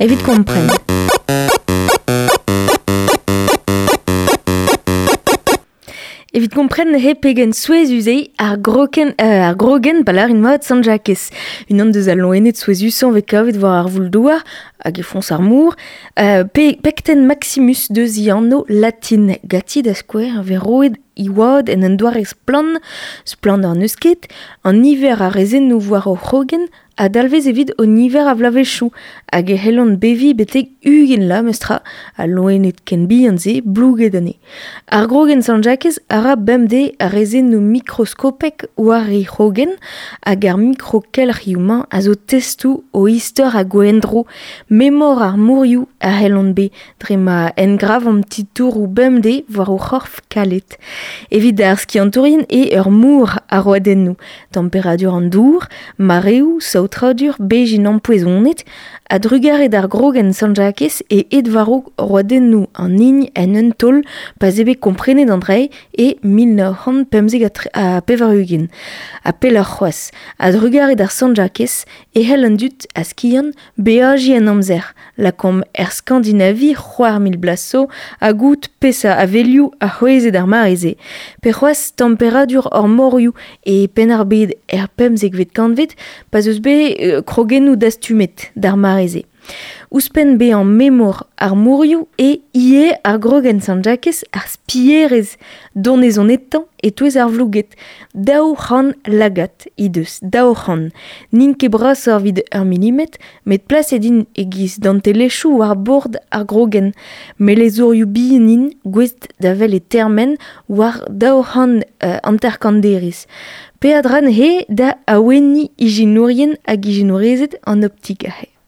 Evit kompren. Evit kompren neuze pegen souezhus eo ar groken, ar grogenn pa lârin mat Sant-Jakez. Unan deus al loened souezhusañ 'vez kavet war ar voul-douar hag e foñs ar mor. Pe Pecten Maximus deus he anv latin. Ganti da skouer 'vez roet he oad en un doare splann, splann n'eus ket, an niver a rezennoù war o c'hrogenn a dalvez evit o niver a vloavezhioù hag e c'hellont beviñ betek 20 vloaz memestra, al loened ken bihan-se blouget anezhe. Ar grogenn Sant-Jakez a ra bemdez ar rezennoù mikroskopek war he c'hrogenn hag ar mikrokelc'hioù-mañ a zo testoù o istor hag o endro. Memor ar morioù a c'hellont bet dre ma engravomp titouroù bemdez war o c'horf kalet. Evit ar skiantourien eo ur mor a roadennoù, temperadur an dour, mareoù, saotradur, bezhin ampoezonet, a-drugarez d'ar grogenn Sant-Jakez e aet war-raok roadennoù an hini en un taol pa 'z eo bet komprenet an dra e 1995. Ha pelloc'h c'hoazh, a-drugarez d'ar Sant-Jakez e c'hell an dud a skiant beajiñ en amzer, lakaomp er Skandinavi 4000 bloaz zo ha goût peseurt avelioù a c'hwezhe d'ar mare-se, pe c'hoazh temperadur hor morioù e Penn-ar-Bed er pemzekvet kantved pa 'z eus bet krogennoù dastumet d'ar mare-se. Ouzhpenn bezañ memor ar morioù eo ivez ar grogenn Sant-Jakez ar spierez donezonetañ e-touez ar vlouged. 200 lagad he deus, 200. N'int ket brasoc'h evit ur milimetr, met plaset int e-giz dantelezhioù war bord ar grogenn. Melezourioù bihan int, gouest da wel e termen war 250 derez. Peadra neuze da awenniñ ijinourien hag ijinourezed an optik aze.